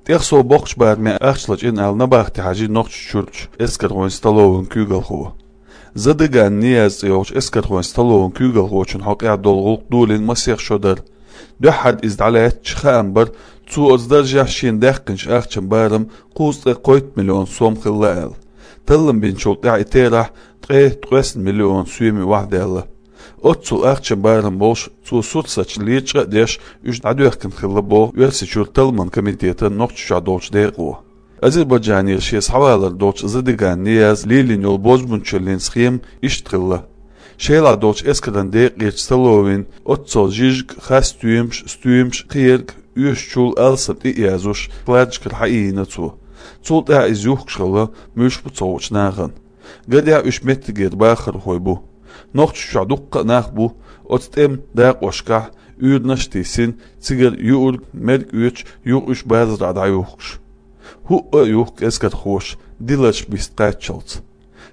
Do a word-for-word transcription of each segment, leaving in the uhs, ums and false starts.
ТӀехсов боккхача бараме ахча лачкъийна аьлла, набахти хьажий Нохчийчуьрчу эскархойн столован куьйгалхо. Задыган Нияз цӀе йолчу эскархойн столован куьйгалхочун хьокъехь долу гӀуллакх долийна масех шо дара. Дуьххьара иза дӀалаьцча, хаам бара, цо оцу даржехь шена даьккхинчу ахчан барам кхузткъе кхойтта миллион сом хилла аьлла. Таллам бинчул тӀаьхьа и терахь ткъе ткъесна миллион соьме охьадаьлла. Оццул ахчан барам болуш, цо сурсаташ лечкъа а деш, уьш дӀадоьхкина хилла боху Оьрсийчуьра талламан комитетан Нохчийчохь долчу декъо. Азербайджанера шен схьавалар долчу Задыган Нияза лелийна йолу бозбунчаллин схема иштта хилла. Шелахь долчу эскаран декъерчу столовин оццул жижиг, хасстоьмаш, стоьмаш, кхерг, оьшучул алсам тӀе а язъеш, складашкара хьаийна цо. Цул тӀаьхьа иза юхкуш хилла муьлш бу ца хуучу нахана. Гарехь, уьш меттигера бахархой бу. Нохчийчохь дуккха а нах бу оцу тӀеман дакъошкахь уьйранаш а тийсина, цигара юург, мерг оьцуш, юха уьш базарахь дӀаюхкуш. ХӀуъа а юхку эскархоша, диларш биста кхаччалц.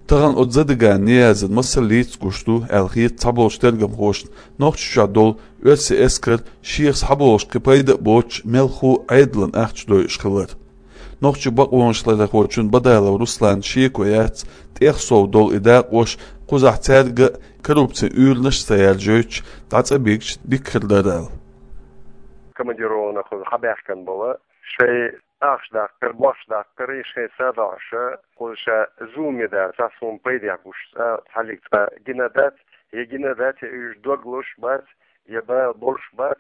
Тахана оцу Задыган Ниязан масаллица гуш ду аьлла хета цхьаболчу тергамхошна Нохчийчохь долу оьрсийн эскар шех схьаболуш кхин пайда а боцуш, мелхо а Ӏедалан ахча дойуш хилар. Нохчийн бакъонашларъярхочун Бадалов Русланан шеко яц, тӀехсов долу и дакъош кхузахь цаьрга а коррупцин уьйранаш а ца яржойтуш, дӀа цӀа бигча дика хир дара аьлла. Командированный кхуза хьабаьхкина болу, шайн ахча даккхар, бохча даккхар, шайн са доӀуш, кхуза ша зуламе дац, цхьа суна пайдехь гуш цкъа цхьаллиг цкъа гина дац, я гина дац, я уьш дог луш бац, я бала болуш бац.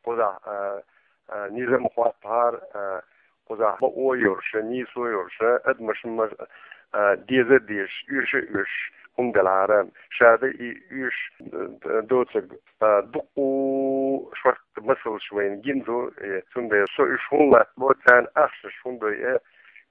Кхузахь, а, а, низам хӀоттахьара, а, кхузахь бакъо йолуш, нийсо йолуш, адамашна ма-, а, дезар дезаш, оьшуш а оьшуш хӀума делахьара. Ша дан и оьшуш, а, доцург, а, дуккха шорта масалш вайна гина ду, э, цундела со уьш хӀунда латтабо, царна ахчанаш хӀунда дой, э,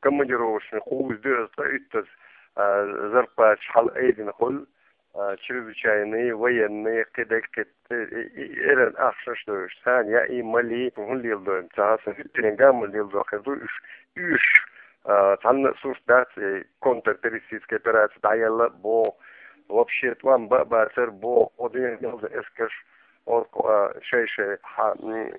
командировочный кхуза дуьйна цкъа уьттаза, а, зарплаташ хьала айдина хуьлу, а, чрезвычайный, военный, кхидерг, кхид-, э, э, э, эран ахчанаш дойуш. Царна яа, мала, хӀун леладо, ца хьаса, хӀуьттаренга а ма леладо, хир ду уьш, уьш, а, цхьанна а сурт дац, э, контртеррористическая операция дӀаелла а боху, вообще тӀом бан а бацара боху, оцу дуьйна ялза эскарш, оцу, а, шай-шай хьа-, м,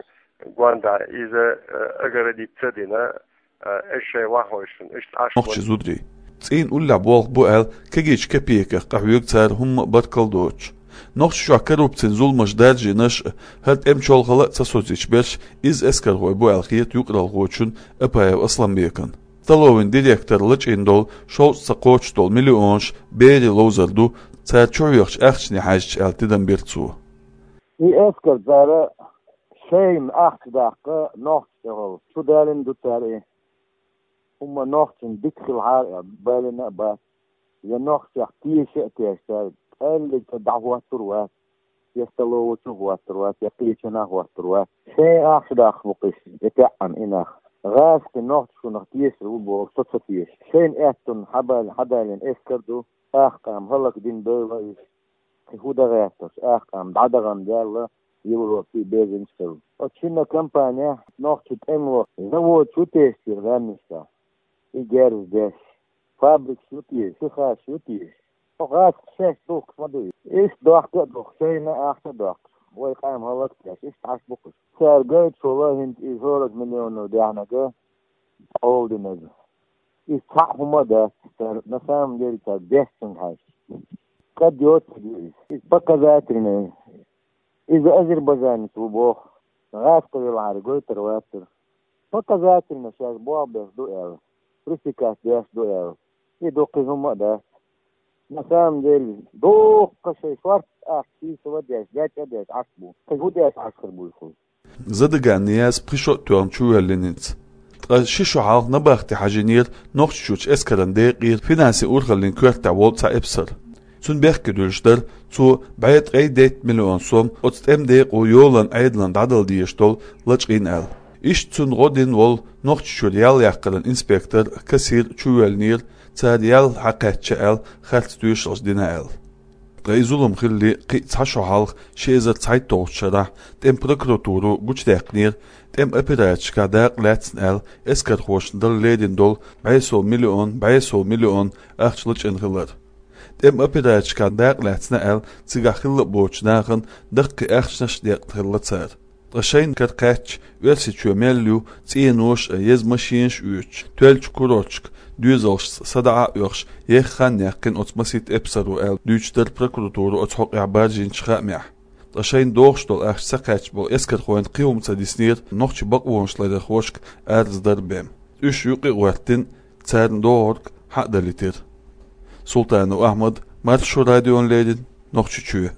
гонда иза, а, огородить ца дина, а, уьш шайн вахойшна, уьш Ӏаш Нохчийн зударий. ЦӀийнан уллехь болх бу аьлла, кегийчу кепеках къахьоьгу цара хӀумма а баркалла доцуш. Нохчийчохь коррупцин зуламаш даржийнарш а, хӀара тӀеман чолхалла а ца соцуьйтуш берш, изза эскархой бу аьлла хета юкъаралхочун Апаев Асламбекан. Столовин директор лачкъийна долу шовзткъа ца кхочуш долу миллионаш берийн ловзар ду, цара чухьоьхучу ахчане хьаьжча аьлла тидам бира цо. И эскар цара шайна ахча даккха нохчашна тӀехула чу далийна ду цара и. ХӀумма нохчашна дика хилахьара аьлла, балийна а бац. Я нохчех теша а тешна цара, кӀеллиг цӀа дӀахӀоттур вац, я столову чу хӀоттур вац, я кхечанхьа хӀоттур вац. Шайн ахча даккха бу-кх уьш, и таьӀӀана и нах. ГӀазкхи нохчашкахь тешар ву боху, со ца теша. Шайна аьттонна хьабал-, хьадалийна эскар ду, ахкъам хӀаллакдина дойла уьш. Кхин хӀун дан гӀерташ, ахкъам дӀадахана даьлла, Европе безамца хилла. Оцу шинна компанехь нохчийн тӀемалойн заводаш ю теша церан гӀаьмнашкахь? И герз деш. Фабрикаш ю теша, ши хаш ю теша. Оха гӀазкхаша шаьш духкуш ма ду иза. Иштта дохка а дохку, шайна ахча а доккхуш, вай къам хӀаллак а деш, иштта Ӏаш бу-кх уьш. Цара гойтуш волу хӀинца и сорок миллионов даьхьнарг, къола динарг. Иза цхьаъ хӀума а дац, цара на самом деле цара дешначуьнга хьаьжча. КӀад йоцург ю иза. Иза показательный. Иза азербайджанец ву боху. ГӀазкхи велахьара гойтур вацара. Показательно шаьш болх беш ду аьлла, пресекать деш ду аьлла. И ду, кхин хӀума а дац. На самом деле, дуккха шайн шорта ахча сийсаз а деш, дечӀа а деш Ӏаш бу. Кхин хӀун деш Ӏаш хир бу иза? Задыган Нияз пхи шо а тоьхна чувоьллина хӀинца. Ткъа ши шо хьалха набахти хьажийнера Нохчийчуьрчу эскаран декъера финансийн урхаллин коьртехь волу цхьа эпсар. Цунна бехке дуьллуш дара, цо бӀе ткъе дейтта миллион сом оцу тӀеман декъо йолан Ӏедална дӀадала дезаш долу лачкъийна аьлла. Иштта цунна гӀо дина волу Нохчийчуьра ял яккхаран инспектор, кассир чувоьллинера, цара ял хьакхаьчча аьлла, харц тоьшаллаш дина аьлла. Ткъа и зулам хилале кхин а цхьа шо хьалха, ши эзар цхьайтталгӀачу шарахь тӀеман прокуратуро гучудаьккхинера, тӀеман операцешкахь дакъа лаьцна аьлла, эскархошна дала лерина долу бӀе сов миллион, бӀе сов миллион ахча лачкъийна хилар. ТӀеман операцешкахь дакъа лаьцна аьлла, цигахь хилла а боцучу нахана даккхий ахчанаш а декъна хилла цара. Ткъа шайна кара кхаьчча, Оьрсийчоь мел ю цӀенош а, еза машинаш а оьцуш, тоьллачу курорташка доьзалшца садаӀа а оьхуш, еха хан яьккхина оцу масийтта эпсаро аьлла, дуьйцуш дара прокуратуро оцу хьокъехь баржийначу хаамехь. Ткъа шайна догӀуш долу ахча ца кхаьчча болу эскархойн кхин хӀума ца диснера нохчийн бакъонаш ларъярхошка араза дар бен. Уьш юкъа а гӀоьртина, царна догӀург хьа а далийтира. Султанов Ахьмад, Маршо радиона леррина, Нохчийчоь.